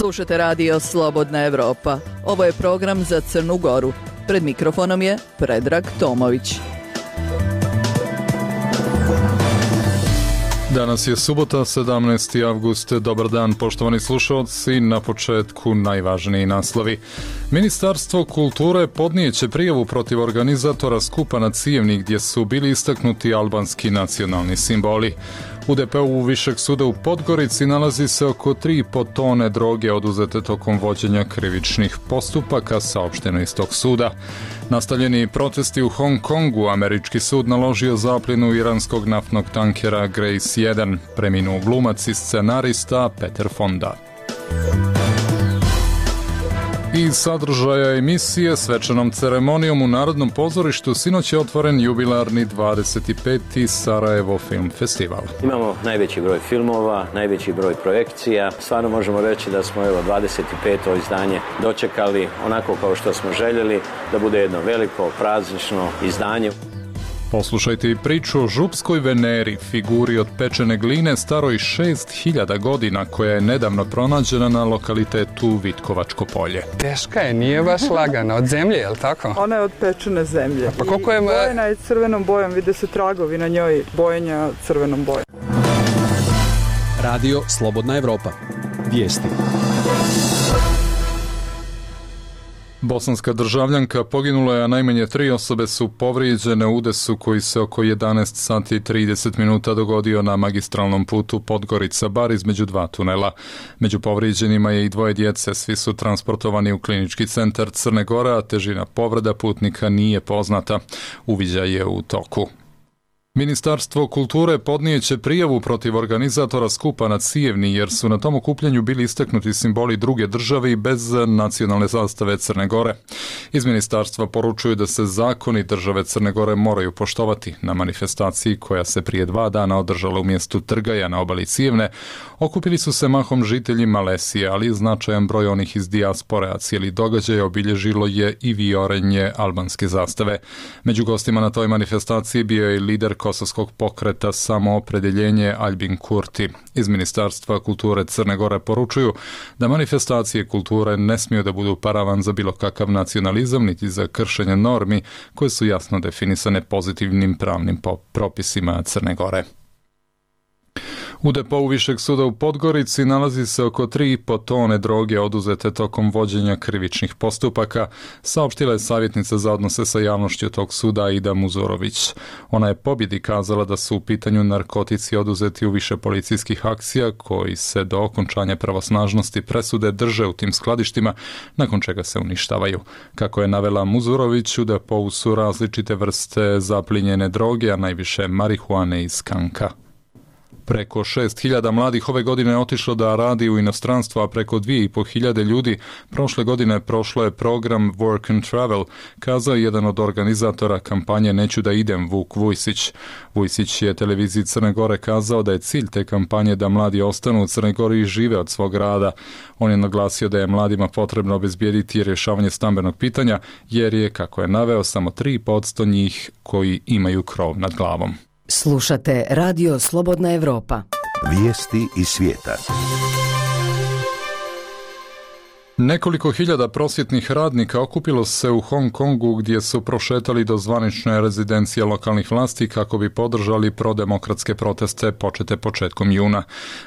Slušate radio Slobodna Evropa. Ovo je program za Crnu Goru. Pred mikrofonom je Predrag Tomović. Danas je subota, 17. avgust. Dobar dan, poštovani slušalci. Na početku najvažniji naslovi. Ministarstvo kulture podnijeće prijavu protiv organizatora skupa na Cijevni gdje su bili istaknuti albanski nacionalni simboli. U DP-u Višeg suda u Podgorici nalazi se oko 3,5 tone droge oduzete tokom vođenja krivičnih postupaka, saopšteno iz tog suda. Nastavljeni protesti u Hong Kongu, američki sud naložio zapljenu iranskog naftnog tankera Grace 1, preminuo glumac i scenarista Peter Fonda. Iz sadržaja emisije svečanom ceremonijom u Narodnom pozorištu sinoć je otvoren jubilarni 25. Sarajevo Film Festival. Imamo najveći broj filmova, najveći broj projekcija. Stvarno možemo reći da smo 25. izdanje dočekali onako kao što smo željeli, da bude jedno veliko, praznično izdanje. Poslušajte i priču o župskoj Veneri, figuri od pečene gline staroj 6000 godina, koja je nedavno pronađena na lokalitetu Vitkovačko polje. Teška je, nije baš lagana, od zemlje, je li tako? Ona je od pečene zemlje. Pa koliko je... Bojena je crvenom bojom, vide se tragovi na njoj bojenja crvenom bojom. Radio Slobodna Evropa. Vijesti. Bosanska državljanka poginula je, a najmanje 3 osobe su povrijeđene u udesu koji se oko 11 sati i 30 minuta dogodio na magistralnom putu Podgorica-Bar između 2 tunela. Među povrijeđenima je i 2 djece, svi su transportovani u klinički centar Crne Gore, a težina povreda putnika nije poznata. Uviđaj je u toku. Ministarstvo kulture podnijeće prijavu protiv organizatora skupa na Cijevni jer su na tom okupljanju bili istaknuti simboli druge države i bez nacionalne zastave Crne Gore. Iz ministarstva poručuju da se zakoni države Crne Gore moraju poštovati. Na manifestaciji koja se prije 2 dana održala u mjestu Trgaja na obali Cijevne, okupili su se mahom žitelji Malesije, ali i značajan broj onih iz dijaspore, a cijeli događaj obilježilo je i vijorenje albanske zastave. Među gostima na toj manifestaciji bio je lider kosovskog pokreta Samoopredjeljenje Albin Kurti. Iz Ministarstva kulture Crne Gore poručuju da manifestacije kulture ne smiju da budu paravan za bilo kakav nacionalizam niti za kršenje normi koje su jasno definisane pozitivnim pravnim propisima Crne Gore. U depovu Višeg suda u Podgorici nalazi se oko 3,5 tone droge oduzete tokom vođenja krivičnih postupaka, saopštila je savjetnica za odnose sa javnošću tog suda Aida Muzorović. Ona je pobjedi kazala da su u pitanju narkotici oduzeti u više policijskih akcija koji se do okončanja pravosnažnosti presude drže u tim skladištima, nakon čega se uništavaju. Kako je navela Muzorović, u depovu su različite vrste zaplijenjene droge, a najviše marihuane i skanka. Preko 6.000 mladih ove godine je otišlo da radi u inostranstvo, a preko 2.500 ljudi prošle godine prošlo je program Work and Travel, kazao je jedan od organizatora kampanje Neću da idem, Vuk Vujsić. Vujsić je televiziji Crne Gore kazao da je cilj te kampanje da mladi ostanu u Crnoj Gori i žive od svog rada. On je naglasio da je mladima potrebno obezbijediti rješavanje stambenog pitanja, jer je, kako je naveo, samo 3% njih koji imaju krov nad glavom. Slušate Radio Slobodna Evropa. Vijesti iz svijeta. Nekoliko hiljada prosvjetnih radnika okupilo se u Hong Kongu gdje su prošetali do zvanične rezidencije lokalnih vlasti kako bi podržali prodemokratske proteste počete početkom juna.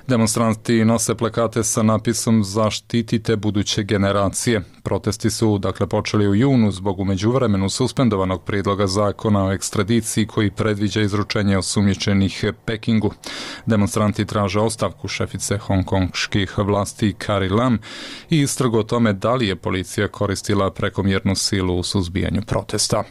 Demonstranti nose plakate sa napisom Zaštitite buduće generacije. Protesti su počeli u junu zbog u međuvremenu suspendovanog prijedloga zakona o ekstradiciji koji predviđa izručenje osumnjičenih Pekingu. Demonstranti traže ostavku šefice hongkonških vlasti Carrie Lam i istragu o tome da li je policija koristila prekomjernu silu u suzbijanju protesta.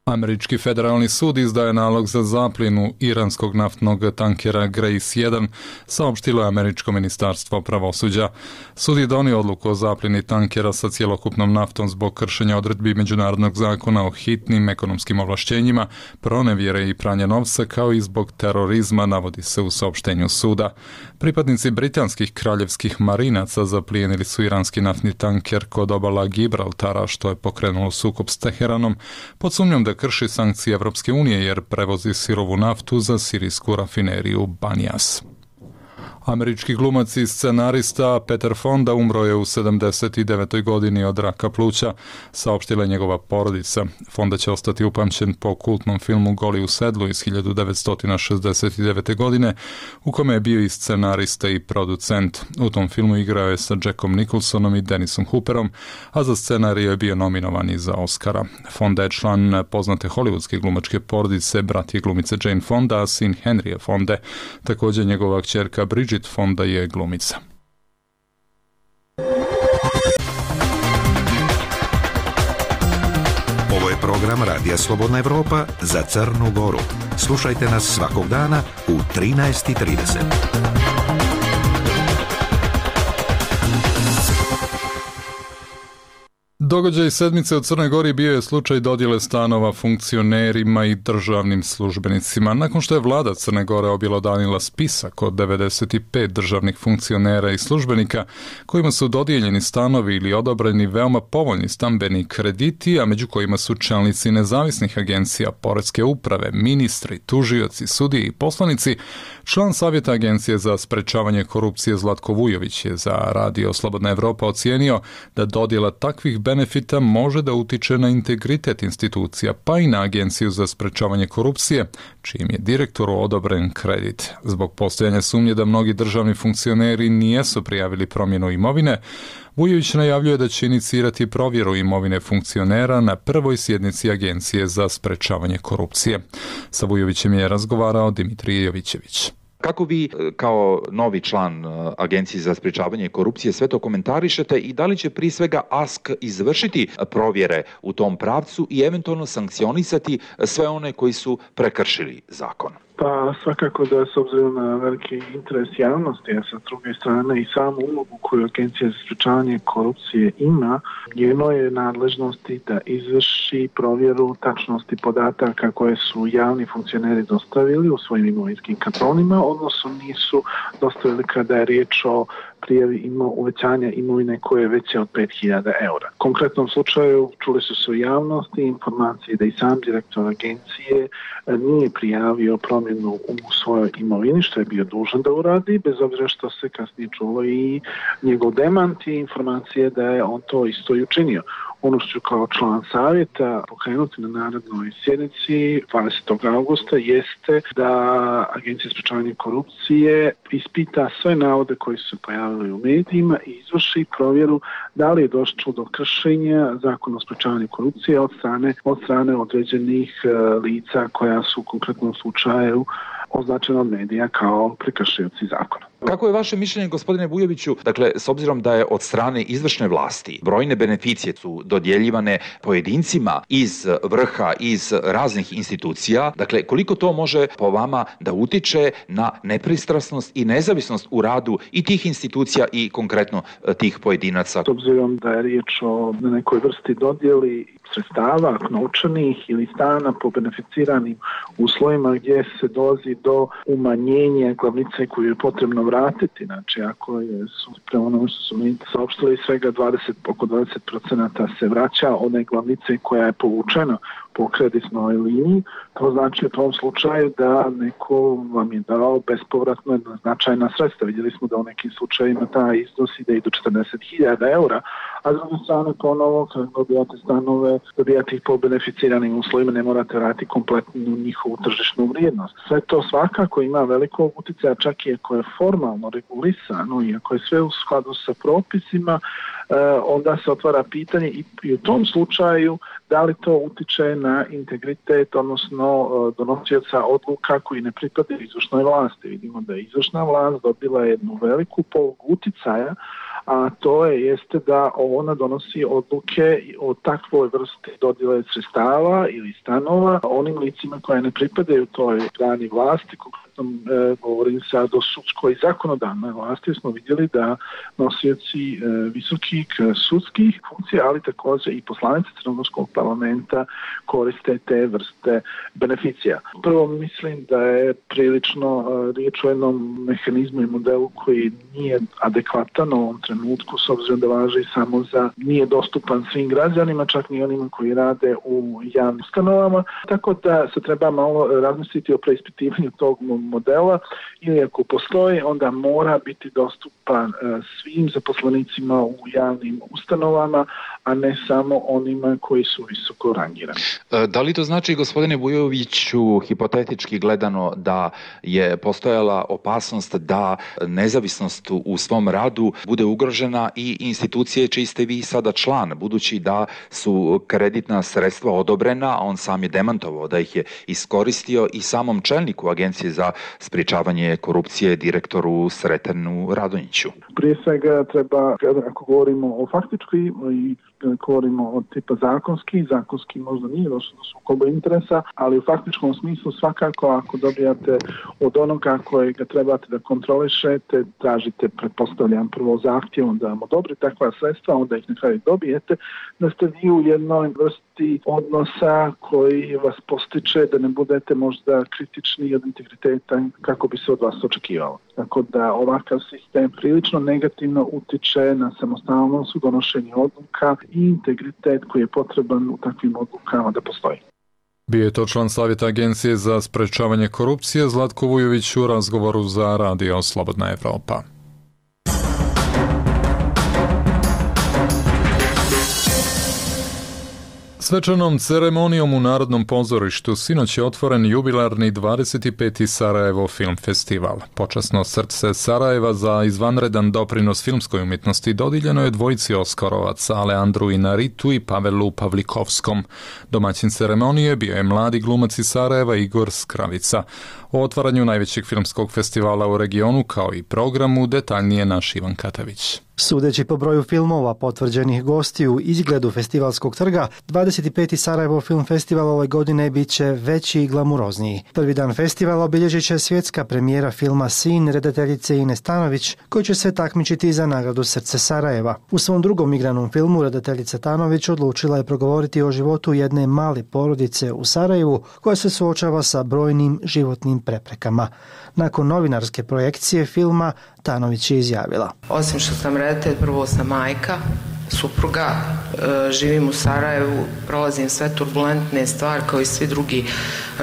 Američki federalni sud izdaje nalog za zapljenu iranskog naftnog tankera Grace 1, saopštilo je američko ministarstvo pravosuđa. Sud je donio odluku o zapljeni tankera sa cjelokupnom naftom zbog kršenja odredbi međunarodnog zakona o hitnim ekonomskim ovlašćenjima, pronevjere i pranja novca, kao i zbog terorizma, navodi se u saopštenju suda. Pripadnici britanskih kraljevskih marinaca zaplijenili su iranski naftni tanker kod obala Gibraltara, što je pokrenulo sukob s Teheranom, pod sumnjom da krši sankcije Evropske unije jer prevozi sirovu naftu za sirijsku rafineriju Banijas. Američki glumac i scenarista Peter Fonda umro je u 79. godini od raka pluća, saopštila je njegova porodica. Fonda će ostati upamćen po kultnom filmu Goli u sedlu iz 1969. godine, u kome je bio i scenarista i producent. U tom filmu igrao je sa Jackom Nicholsonom i Dennisom Hooperom, a za scenarij je bio nominovan i za Oscara. Fonda je član poznate hollywoodske glumačke porodice, brat je glumice Jane Fonda, a sin Henrya Fonde. Također njegova kćerka Bridget Fonda je glumica. Ovo je program Radija Slobodna Evropa za Crnu Goru. Slušajte nas svakog dana u 13:30. Događaj sedmice u Crnoj Gori bio je slučaj dodjele stanova funkcionerima i državnim službenicima. Nakon što je vlada Crne Gore objelodanila spisak od 95 državnih funkcionera i službenika kojima su dodijeljeni stanovi ili odobreni veoma povoljni stambeni krediti, a među kojima su čelnici nezavisnih agencija, poreske uprave, ministri, tužioci, sudije i poslanici, član Savjeta Agencije za sprečavanje korupcije Zlatko Vujović je za Radio Slobodna Evropa ocijenio da dodjela takvih benefita može da utiče na integritet institucija, pa i na Agenciju za sprečavanje korupcije, čijim je direktoru odobren kredit. Zbog postojanja sumnje da mnogi državni funkcioneri nijesu prijavili promjenu imovine, Vujović najavljuje da će inicirati provjeru imovine funkcionera na prvoj sjednici Agencije za sprečavanje korupcije. Sa Vujovićem je razgovarao Dimitrije Jovićević. Kako vi kao novi član Agencije za sprečavanje korupcije sve to komentarišete i da li će prije svega ASK izvršiti provjere u tom pravcu i eventualno sankcionisati sve one koji su prekršili zakon? Pa svakako da s obzirom na veliki interes javnosti, a sa druge strane i samu ulogu koju Agencija za sprečavanje korupcije ima, njeno je nadležnosti da izvrši provjeru tačnosti podataka koje su javni funkcioneri dostavili u svojim imovinskim kartonima, odnosno nisu dostavili kada je riječ o prijavi uvećanja imovine koje je veće od 5.000 eura. U konkretnom slučaju čuli su se u javnosti informacije da i sam direktor agencije nije prijavio promjenu u svojoj imovini, što je bio dužan da uradi, bez obzira što se kasnije čulo i njegov demant i informacije da je on to isto i učinio. Ono što ću kao član savjeta pokrenuti na narednoj sjednici 20. augusta jeste da Agencija za sprečavanje korupcije ispita sve navode koji su se pojavili u medijima i izvrši provjeru da li je došlo do kršenja zakona o sprečavanju korupcije od strane određenih lica koja su u konkretnom slučaju označena od medija kao prekršioci zakona. Kako je vaše mišljenje, gospodine Vujoviću, dakle, s obzirom da je od strane izvršne vlasti brojne beneficije su dodjeljivane pojedincima iz vrha, iz raznih institucija, dakle, koliko to može po vama da utiče na nepristrasnost i nezavisnost u radu i tih institucija i konkretno tih pojedinaca? S obzirom da je riječ o nekoj vrsti dodjeli sredstava, novčanih ili stana po beneficiranim uslovima gdje se dolazi do umanjenja glavnice koju je potrebno vratiti. Znači, ako su prema onome što su mi saopštili, svega oko 20% se vraća one glavnice koja je povučena po kreditnoj liniji, to znači u tom slučaju da neko vam je dao bespovratno značajna sredstva. Vidjeli smo da u nekim slučajima ta iznos ide i do 40.000 eura, a s druge strane ponovo kada dobijate stanove, dobijate ih po beneficiranim uslovima, ne morate vratiti kompletnu njihovu tržišnu vrijednost. Sve to svakako ima velikog utjecaja, čak i ako je formalno regulisano i ako je sve u skladu sa propisima, onda se otvara pitanje i u tom slučaju da li to utiče na integritet, odnosno donosioca odluka koji ne pripadaju izvršnoj vlasti. Vidimo da je izvršna vlast dobila jednu veliku polugu uticaja, a to jeste da ona donosi odluke o takvoj vrsti dodjele sredstava ili stanova onim licima koje ne pripadaju toj grani vlasti. Govorim sad o sudskoj i zakonodavnoj vlasti, smo vidjeli da nosioci visokih sudskih funkcija, ali također i poslanici Crnogorskog parlamenta koriste te vrste beneficija. Prvo mislim da je prilično riječ o jednom mehanizmu i modelu koji nije adekvatan u ovom trenutku, s obzirom da važi samo nije dostupan svim građanima, čak ni onima koji rade u javnim ustanovama, tako da se treba malo razmisliti o preispitivanju tog modela, ili ako postoji, onda mora biti dostupan svim zaposlenicima u javnim ustanovama, a ne samo onima koji su visoko rangirani. Da li to znači, gospodine Vujoviću, hipotetički gledano, da je postojala opasnost da nezavisnost u svom radu bude ugrožena i institucije čiji ste vi sada član, budući da su kreditna sredstva odobrena, a on sam je demantovao da ih je iskoristio i samom čelniku Agencije za sprječavanje korupcije, direktoru Sretenu Radonjiću? Prije svega treba, ako govorimo o faktičkoj i govorimo o tipa zakonski možda nije došlo do sukoba interesa, ali u faktičkom smislu svakako ako dobijate od onoga kojega trebate da kontrolišete, tražite, pretpostavljam, prvo zahtjevom da vam odobri takva sredstva, onda ih na kraju dobijete, da ste vi u jednoj vrsti odnosa koji vas postiče da ne budete možda kritični od integriteta kako bi se od vas očekivalo. Tako da ovakav sistem prilično negativno utiče na samostalnost u donošenju odluka i integritet koji je potreban u takvim odlukama da postoji. Bio je to član Savjeta Agencije za sprečavanje korupcije Zlatko Vujović u razgovoru za Radio Slobodna Evropa. Svečanom ceremonijom u Narodnom pozorištu sinoć je otvoren jubilarni 25. Sarajevo film festival. Počasno srce Sarajeva za izvanredan doprinos filmskoj umjetnosti dodijeljeno je dvojici Oskarovaca, Aleandru Inaritu i Pavelu Pavlikovskom. Domaćin ceremonije bio je mladi glumac iz Sarajeva Igor Skravica. O otvaranju najvećeg filmskog festivala u regionu kao i programu detaljnije naš Ivan Katavić. Sudeći po broju filmova potvrđenih gostiju i izgledu festivalskog trga, 25. Sarajevo Film Festival ove godine bit će veći i glamurozniji. Prvi dan festivala obilježit će svjetska premijera filma Sin redateljice Ine Stanović, koji će se takmičiti za nagradu Srce Sarajeva. U svom drugom igranom filmu redateljica Tanović odlučila je progovoriti o životu jedne male porodice u Sarajevu koja se suočava sa brojnim životnim preprekama. Nakon novinarske projekcije filma, Tanović je izjavila: Osim što sam redatelj, prvo sam majka, supruga, živim u Sarajevu, prolazim sve turbulentne stvari kao i svi drugi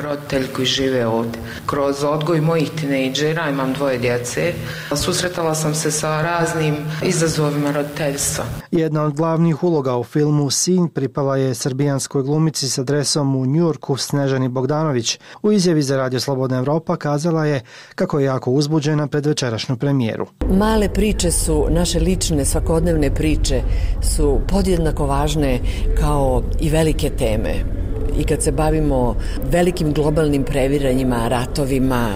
roditelji koji žive ovdje. Kroz odgoj mojih tinejdžera, imam 2 djece, susretala sam se sa raznim izazovima roditeljstva. Jedna od glavnih uloga u filmu Sin pripala je srbijanskoj glumici s adresom u Njujorku Snežani Bogdanović. U izjavi za Radio Slobodna Evropa kazala je kako je jako uzbuđena pred večerašnju premijeru. Male priče su naše lične, svakodnevne priče su podjednako važne kao i velike teme. I kad se bavimo velikim globalnim previranjima, ratovima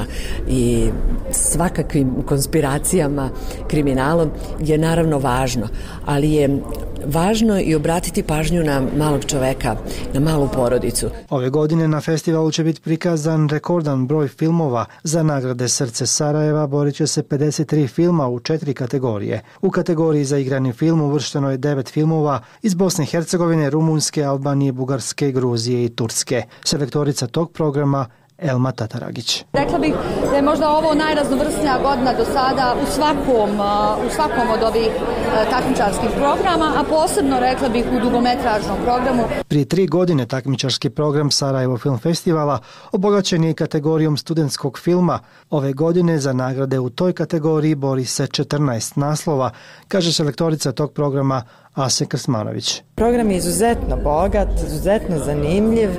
i svakakvim konspiracijama, kriminalom, je naravno važno, ali je važno i obratiti pažnju na malog čoveka, na malu porodicu. Ove godine na festivalu će biti prikazan rekordan broj filmova. Za nagrade Srce Sarajeva borit će se 53 filma u 4 kategorije. U kategoriji za igrani film uvršteno je 9 filmova iz Bosne i Hercegovine, Rumunjske, Albanije, Bugarske, Gruzije i Turske. Selektorica tog programa Elma Tataragić. Rekla bih da je možda ovo najraznovrsnija godina do sada u svakom od ovih takmičarskih programa, a posebno rekla bih u dugometražnom programu. Prije 3 godine takmičarski program Sarajevo Film Festivala obogaćen je kategorijom studentskog filma. Ove godine za nagrade u toj kategoriji bori se 14 naslova, kaže selektorica tog programa Ase Krsmanović. Program je izuzetno bogat, izuzetno zanimljiv,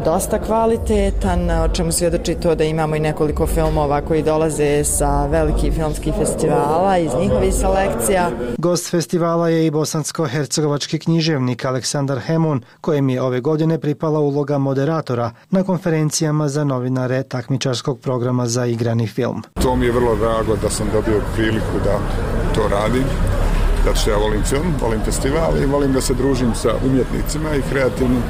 dosta kvalitetan, o čemu svjedoči to da imamo i nekoliko filmova koji dolaze sa velikih filmskih festivala iz njihovih selekcija. Gost festivala je i bosansko-hercegovački književnik Aleksandar Hemun, kojem je ove godine pripala uloga moderatora na konferencijama za novinare takmičarskog programa za igrani film. To mi je vrlo drago da sam dobio priliku da to radim. Zato što ja volim film, volim festival i volim da se družim sa umjetnicima i kreativnim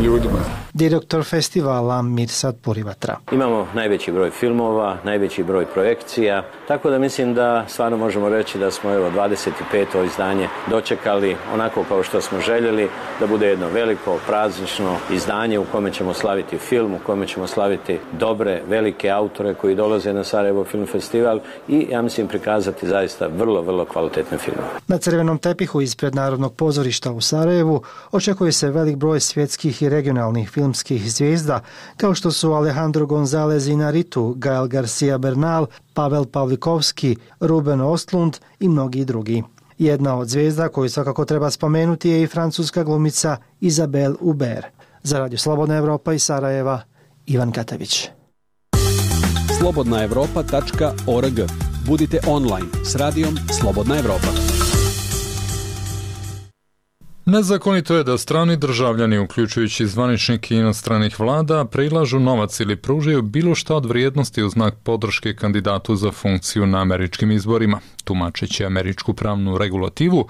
ljudima. Direktor festivala Mirsad Purivatra. Imamo najveći broj filmova, najveći broj projekcija, tako da mislim da stvarno možemo reći da smo 25. izdanje dočekali onako kao što smo željeli, da bude jedno veliko, praznično izdanje u kome ćemo slaviti film, u kome ćemo slaviti dobre, velike autore koji dolaze na Sarajevo Film Festival i ja mislim prikazati zaista vrlo, vrlo kvalitetne filmove. Na crvenom tepihu ispred Narodnog pozorišta u Sarajevu očekuje se velik broj svjetskih i regionalnih filmskih filmskih zvijezda, kao što su Alejandro González Iñárritu, Gael García Bernal, Pavel Pavlikovski, Ruben Östlund i mnogi drugi. Jedna od zvijezda koju svakako treba spomenuti je i francuska glumica Isabelle Huppert. Za Radio Slobodna Evropa iz Sarajeva, Ivan Katavić. slobodnaevropa.org. Budite online s radijom Slobodna Evropa. Nezakonito je da strani državljani, uključujući zvaničnike inostranih vlada, prilažu novac ili pružaju bilo šta od vrijednosti u znak podrške kandidatu za funkciju na američkim izborima. Tumačeći američku pravnu regulativu,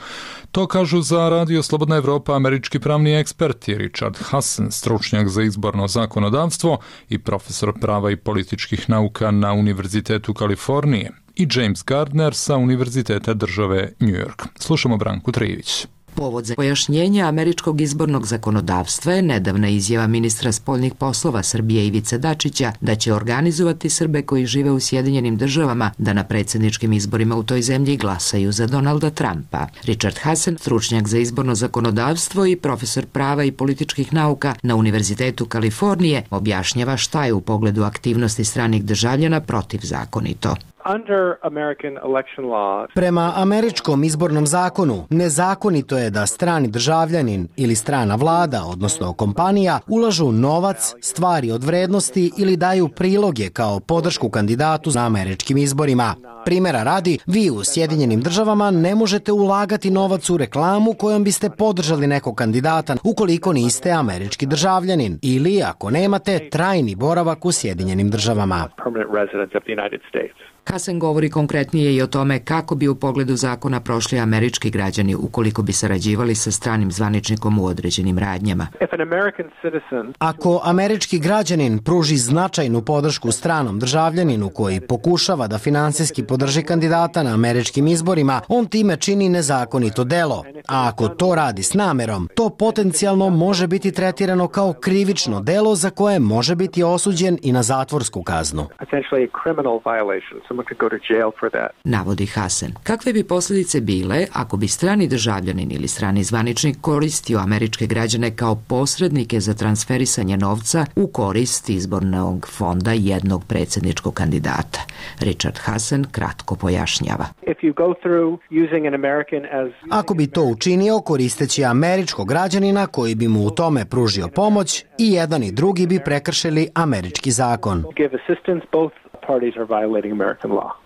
to kažu za Radio Slobodna Evropa američki pravni eksperti Richard Hasen, stručnjak za izborno zakonodavstvo i profesor prava i političkih nauka na Univerzitetu Kalifornije, i James Gardner sa Univerziteta države New York. Slušamo Branku Trijević. Povod za pojašnjenje američkog izbornog zakonodavstva je nedavna izjava ministra spoljnih poslova Srbije Ivice Dačića da će organizovati Srbe koji žive u Sjedinjenim državama da na predsjedničkim izborima u toj zemlji glasaju za Donalda Trumpa. Richard Hasen, stručnjak za izborno zakonodavstvo i profesor prava i političkih nauka na Univerzitetu Kalifornije, objašnjava šta je u pogledu aktivnosti stranih državljana protivzakonito. Prema američkom izbornom zakonu, nezakonito je da strani državljanin ili strana vlada, odnosno kompanija, ulažu novac, stvari od vrednosti ili daju priloge kao podršku kandidatu na američkim izborima. Primjera radi, vi u Sjedinjenim državama ne možete ulagati novac u reklamu kojom biste podržali nekog kandidata ukoliko niste američki državljanin ili ako nemate trajni boravak u Sjedinjenim državama. Hasen govori konkretnije i o tome kako bi u pogledu zakona prošli američki građani ukoliko bi sarađivali sa stranim zvaničnikom u određenim radnjama. Ako američki građanin pruži značajnu podršku stranom državljaninu koji pokušava da finansijski podrži kandidata na američkim izborima, on time čini nezakonito delo. A ako to radi s namerom, to potencijalno može biti tretirano kao krivično delo za koje može biti osuđen i na zatvorsku kaznu. Navodi Hasen. Kakve bi posljedice bile ako bi strani državljanin ili strani zvaničnik koristio američke građane kao posrednike za transferisanje novca u korist izbornog fonda jednog predsjedničkog kandidata? Richard Hasen kratko pojašnjava. Ako bi to učinio koristeći američkog građanina koji bi mu u tome pružio pomoć, i jedan i drugi bi prekršili američki zakon.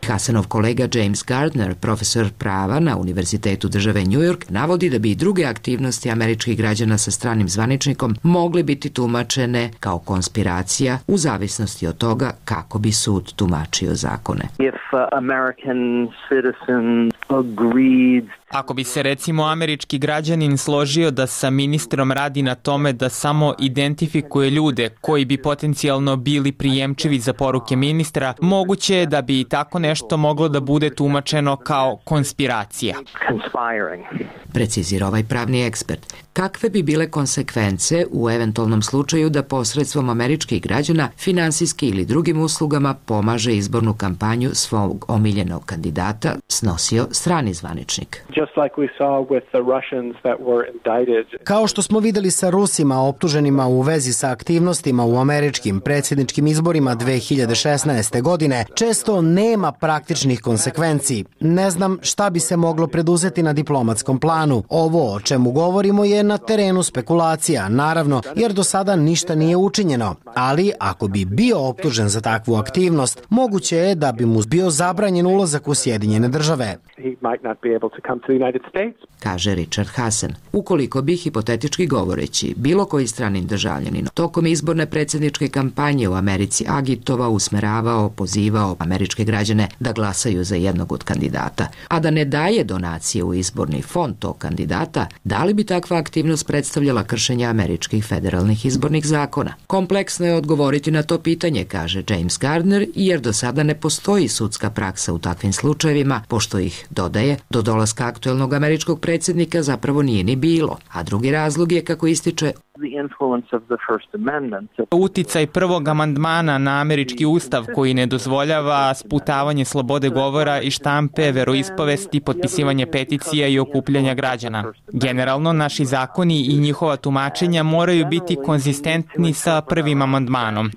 Hasenov kolega James Gardner, profesor prava na Univerzitetu države New York, navodi da bi i druge aktivnosti američkih građana sa stranim zvaničnikom mogle biti tumačene kao konspiracija u zavisnosti od toga kako bi sud tumačio zakone. Ako bi se recimo američki građanin složio da sa ministrom radi na tome da samo identifikuje ljude koji bi potencijalno bili prijemčivi za poruke ministra, moguće je da bi i tako nešto moglo da bude tumačeno kao konspiracija. Precizira ovaj pravni ekspert. Kakve bi bile konsekvence u eventualnom slučaju da posredstvom američkih građana finansijski ili drugim uslugama pomaže izbornu kampanju svog omiljenog kandidata snosio strani zvaničnik? Kao što smo videli sa Rusima optuženima u vezi sa aktivnostima u američkim predsjedničkim izborima 2016. godine, često nema praktičnih konsekvenci. Ne znam šta bi se moglo preduzeti na diplomatskom planu. Ovo o čemu govorimo je na terenu spekulacija, naravno, jer do sada ništa nije učinjeno. Ali ako bi bio optužen za takvu aktivnost, moguće je da bi mu bio zabranjen ulazak u Sjedinjene države. Kaže Richard Hasen. Ukoliko bi, hipotetički govoreći, bilo koji stranim državljanin tokom izborne predsjedničke kampanje u Americi agitovao, usmeravao, pozivao američke građane da glasaju za jednog od kandidata, a da ne daje donacije u izborni fond tog kandidata, da li bi takva aktivnost predstavljala kršenje američkih federalnih izbornih zakona? Kompleksno je odgovoriti na to pitanje, kaže James Gardner, jer do sada ne postoji sudska praksa u takvim slučajevima, pošto ih, dodaje, do dolaska aktuelnog američkog predsjednika zapravo nije ni bilo. A drugi razlog je, kako ističe, Uticaj prvog amandmana na američki ustav koji ne dozvoljava sputavanje slobode govora i štampe, veroispovesti, potpisivanje peticija i okupljanja građana. Generalno, naši zakoni i njihova tumačenja moraju biti konzistentni sa prvim amandmanom.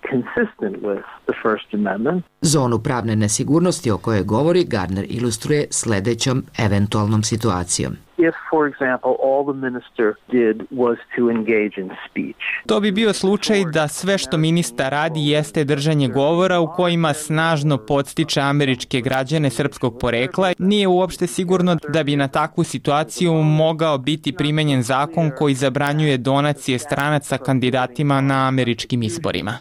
Zonu pravne nesigurnosti o kojoj govori Gardner ilustruje sledećom eventualnom situacijom. To bi bio slučaj da sve što ministar radi jeste držanje govora u kojima snažno podstiče američke građane srpskog porekla. Nije uopšte sigurno da bi na takvu situaciju mogao biti primenjen zakon koji zabranjuje donacije stranaca kandidatima na američkim izborima.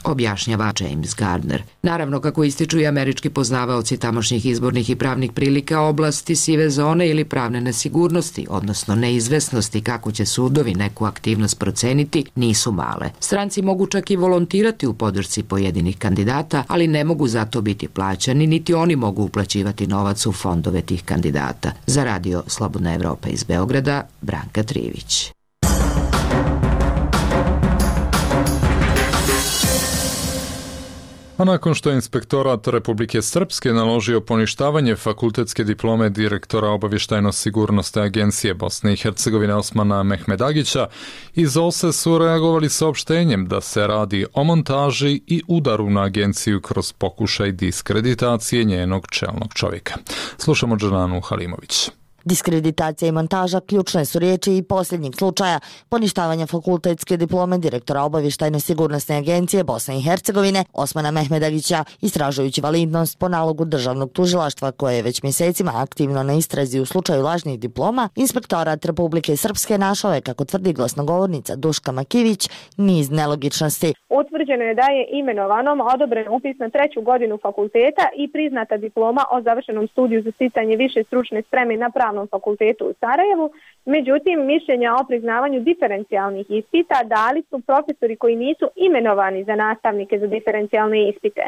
Objašnjava James Gardner. Naravno, kako ističu i američki poznavaoci tamošnjih izbornih i pravnih prilika, oblasti sive zone ili pravne nesigurnosti, odnosno neizvesnosti kako će sudovi neku aktivnost proceniti, nisu male. Stranci mogu čak i volontirati u podršci pojedinih kandidata, ali ne mogu zato biti plaćani, niti oni mogu uplaćivati novac u fondove tih kandidata. Za radio Slobodna Evropa iz Beograda, Branka Trivić. A nakon što je Inspektorat Republike Srpske naložio poništavanje fakultetske diplome direktora Obavještajno-sigurnosne agencije Bosne i Hercegovine Osmana Mehmedagića, iz OSE su reagovali saopštenjem da se radi o montaži i udaru na agenciju kroz pokušaj diskreditacije njenog čelnog čovjeka. Slušamo Džananu Halimović. Diskreditacija i montaža ključne su riječi i posljednjeg slučaja poništavanja fakultetske diplome direktora Obavještajno-sigurnosne agencije Bosne i Hercegovine Osmana Mehmedagića, istražujući validnost po nalogu državnog tužilaštva koje je već mjesecima aktivno na istrazi u slučaju lažnih diploma. Inspektorat Republike Srpske našao je, kako tvrdi glasnogovornica Duška Makivić, niz nelogičnosti. Utvrđeno je da je imenovanom odobren upis na 3. godinu fakulteta i priznata diploma o završenom studiju za sticanje više stručne spreme na Pravnom fakultetu u Sarajevu. Međutim, mišljenja o priznavanju diferencijalnih ispita dali su profesori koji nisu imenovani za nastavnike za diferencijalne ispite.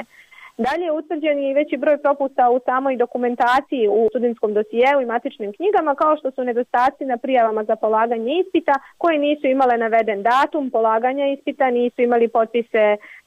Dalje je utvrđen i veći broj propusta u samoj dokumentaciji u studentskom dosijeu i matičnim knjigama, kao što su nedostaci na prijavama za polaganje ispita koje nisu imale naveden datum polaganja ispita, nisu imali potpise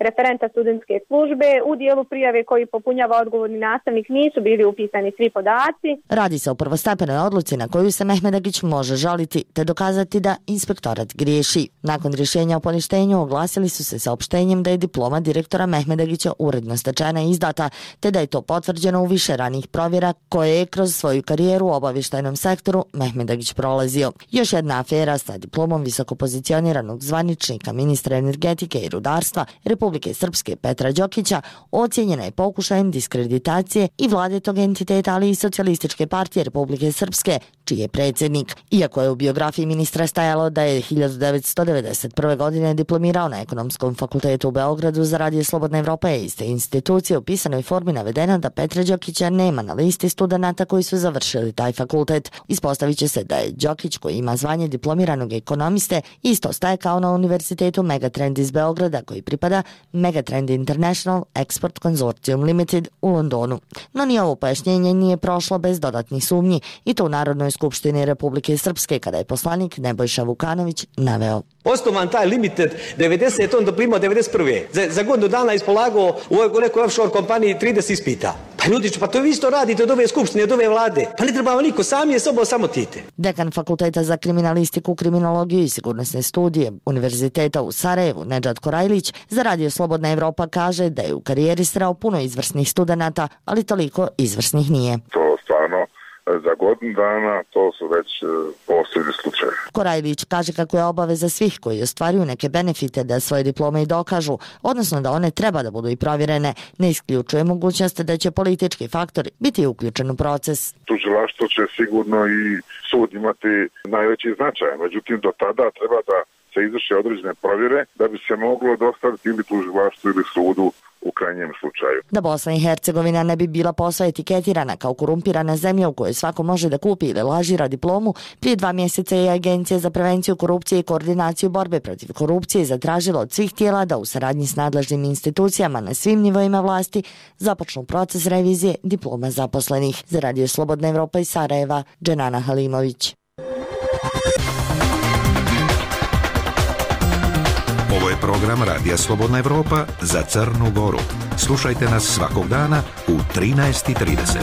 referenta studentske službe, u dijelu prijave koji popunjava odgovorni nastavnik nisu bili upisani svi podaci. Radi se o prvostepenoj odluci na koju se Mehmedagić može žaliti te dokazati da inspektorat griješi. Nakon rješenja o poništenju oglasili su se saopštenjem da je diploma direktora Mehmedagića uredno stečena i izdata, te da je to potvrđeno u više ranih provjera koje je kroz svoju karijeru u obavještajnom sektoru Mehmedagić prolazio. Još jedna afera sa diplomom visokopozicioniranog zvaničnika ministra energetike i rudarstva Republike Srpske Petra Đokića ocijenjena je pokušajem diskreditacije i vlade tog entiteta, ali i Socijalističke partije Republike Srpske, čiji je predsjednik. Iako je u biografiji ministra stajalo da je 1991. godine diplomirao na Ekonomskom fakultetu u Beogradu, za radio Slobodna Evropa je iste institucije u pisanoj formi navedeno da Petra Đokića nema na listi studenata koji su završili taj fakultet. Ispostavit će se da je Đokić, koji ima zvanje diplomiranog ekonomiste, isto staje kao na Univerzitetu Megatrend iz Beograda, koji pripada Megatrend International Export Consortium Limited u Londonu. No ni ovo pojašnjenje nije prošlo bez dodatnih sumnji, i to u Narodnoj skupštini Republike Srpske, kada je poslanik Nebojša Vukanović naveo. Osnovan taj Limited 90, on doprimao 91. Za godinu dana ispolagao u nekoj offshore kompaniji 30 ispita. Pa ljudi, pa to vi isto radite od ove skupštine, od ove vlade. Pa ne treba niko, sami je sobom samo tite. Dekan Fakulteta za kriminalistiku, kriminologiju i sigurnosne studije Univerziteta u Sarajevu, Nedžad Korajlić, za radio Slobodna Evropa kaže da je u karijeri sreo puno izvrsnih studenata, ali toliko izvrsnih nije. To stvarno za godinu dana to su već posebni slučaje. Korajlić kaže kako je obaveza svih koji ostvaruju neke benefite da svoje diplome i dokažu, odnosno da one treba da budu i provjerene. Ne isključuje mogućnost da će politički faktori biti uključen u proces. Tužilaštvo će sigurno i sud imati najveći značaj, međutim do tada treba da se izvrše određene provjere da bi se moglo dostaviti ili tužilaštvu ili sudu u krajnjem slučaju. Da Bosna i Hercegovina ne bi bila posve etiketirana kao korumpirana zemlja u kojoj svako može da kupi ili lažira diplomu, prije 2 mjeseca je Agencija za prevenciju korupcije i koordinaciju borbe protiv korupcije zatražila od svih tijela da u saradnji s nadležnim institucijama na svim nivoima vlasti započnu proces revizije diploma zaposlenih. Za radio Slobodna Evropa iz Sarajeva, Dženana Halimović. program Radija Slobodna Evropa za Crnu Goru. Slušajte nas svakog dana u 13:30.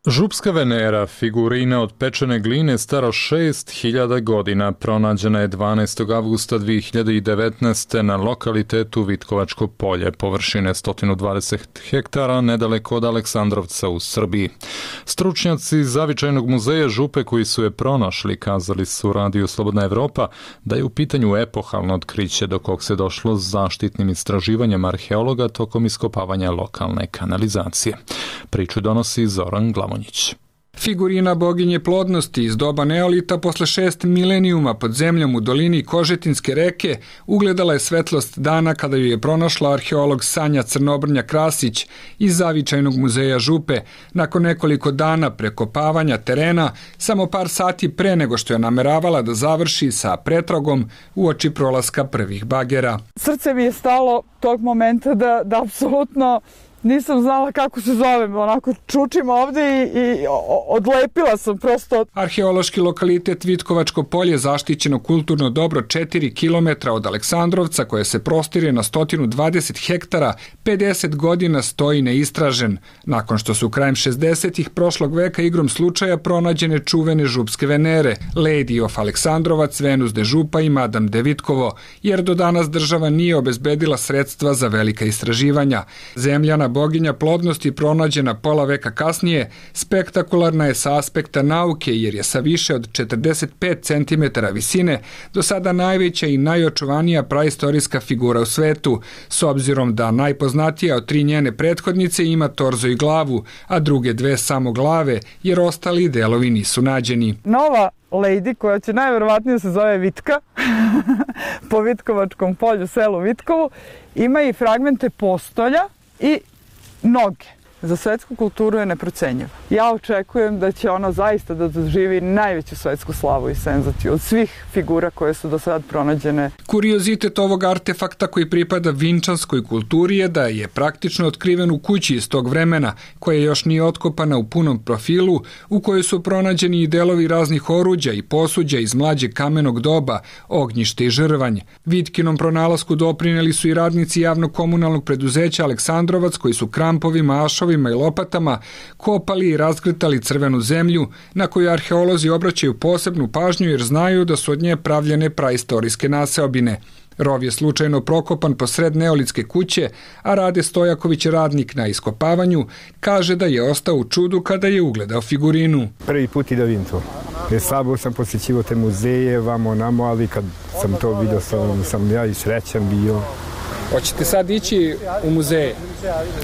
Župska Venera, figurina od pečene gline stara 6000 godina, pronađena je 12. avgusta 2019. na lokalitetu Vitkovačko polje, površine 120 hektara, nedaleko od Aleksandrovca u Srbiji. Stručnjaci Zavičajnog muzeja Župe koji su je pronašli kazali su Radiju Slobodna Evropa da je u pitanju epohalno otkriće do kog se došlo zaštitnim istraživanjem arheologa tokom iskopavanja lokalne kanalizacije. Priču donosi Zoran Glavonjić. Figurina boginje plodnosti iz doba neolita posle 6 milenijuma pod zemljom u dolini Kožetinske reke ugledala je svetlost dana kada ju je pronašla arheolog Sanja Crnobrnja Krasić iz Zavičajnog muzeja Župe nakon nekoliko dana prekopavanja terena, samo par sati pre nego što je nameravala da završi sa pretragom uoči prolaska prvih bagera. Srce mi je stalo tog momenta da apsolutno nisam znala kako se zovem, onako čučim ovde i odlepila sam prosto. Arheološki lokalitet Vitkovačko polje zaštićeno kulturno dobro 4 km od Aleksandrovca koje se prostire na 120 hektara, 50 godina stoji neistražen, nakon što su krajem 60-ih prošlog veka igrom slučaja pronađene čuvene župske Venere, Lady of Aleksandrovac, Venus de Župa i Madame de Vitkovo, jer do danas država nije obezbedila sredstva za velika istraživanja. Zemljana boginja plodnosti pronađena pola veka kasnije, spektakularna je sa aspekta nauke jer je sa više od 45 cm visine do sada najveća i najočuvanija praistorijska figura u svetu, s obzirom da najpoznatija od 3 njene prethodnice ima torzo i glavu, a druge 2 samo glave, jer ostali delovi nisu nađeni. Nova Lady, koja će najverovatnije se zove Vitka, po Vitkovačkom polju, selu Vitkovu, ima i fragmente postolja i noge. Za svetsku kulturu je neprocenjiva. Ja očekujem da će ona zaista da doživi najveću svetsku slavu i senzaciju od svih figura koje su do sad pronađene. Kuriozitet ovog artefakta koji pripada vinčanskoj kulturi je da je praktično otkriven u kući iz tog vremena, koja još nije otkopana u punom profilu, u kojoj su pronađeni i delovi raznih oruđa i posuđa iz mlađeg kamenog doba, ognjište i žrvanj. Vitkinom pronalasku doprineli su i radnici javnog komunalnog preduzeća Aleksandrovac koji su krampovima, ašovima i lopatama kopali i razgretali crvenu zemlju na koju arheolozi obraćaju posebnu pažnju jer znaju da su od nje pravljene praistorijske naseobine. Rov je slučajno prokopan posred neolitske kuće, a Rade Stojaković, radnik na iskopavanju, kaže da je ostao u čudu kada je ugledao figurinu. Prvi put i da vidim to. Slabo sam posjećivao te muzeje, vamo namo, ali kad sam to vidio sam ja i srećan bio. Hoćete sad ići u muzeje?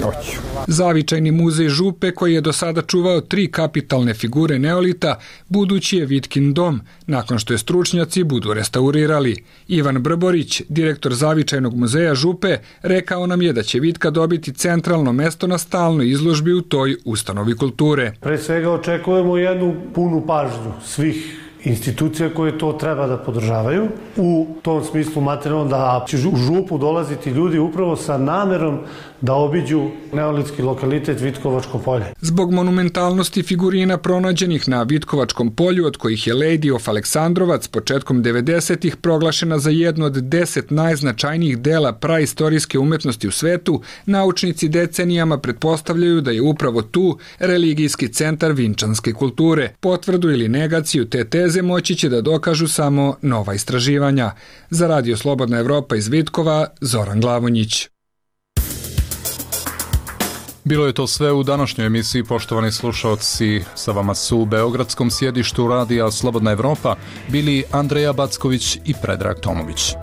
Hoću. Zavičajni muzej Župe, koji je do sada čuvao 3 kapitalne figure neolita, budući je Vitkin dom, nakon što je stručnjaci budu restaurirali. Ivan Brborić, direktor Zavičajnog muzeja Župe, rekao nam je da će Vitka dobiti centralno mesto na stalnoj izložbi u toj ustanovi kulture. Pre svega očekujemo jednu punu pažnju svih institucija koje to treba da podržavaju. U tom smislu materijalno da će u Župu dolaziti ljudi upravo sa namerom da obiđu neolitski lokalitet Vitkovačko polje. Zbog monumentalnosti figurina pronađenih na Vitkovačkom polju, od kojih je Lady of Aleksandrovac početkom 90-ih proglašena za jednu od 10 najznačajnijih dela praistorijske umetnosti u svetu, naučnici decenijama pretpostavljaju da je upravo tu religijski centar vinčanske kulture. Potvrdu ili negaciju te teze moći će da dokažu samo nova istraživanja. Za Radio Slobodna Evropa iz Vitkova, Zoran Glavonjić. Bilo je to sve u današnjoj emisiji, poštovani slušaoci. Sa vama su u beogradskom sjedištu Radija Slobodna Evropa bili Andreja Backović i Predrag Tomović.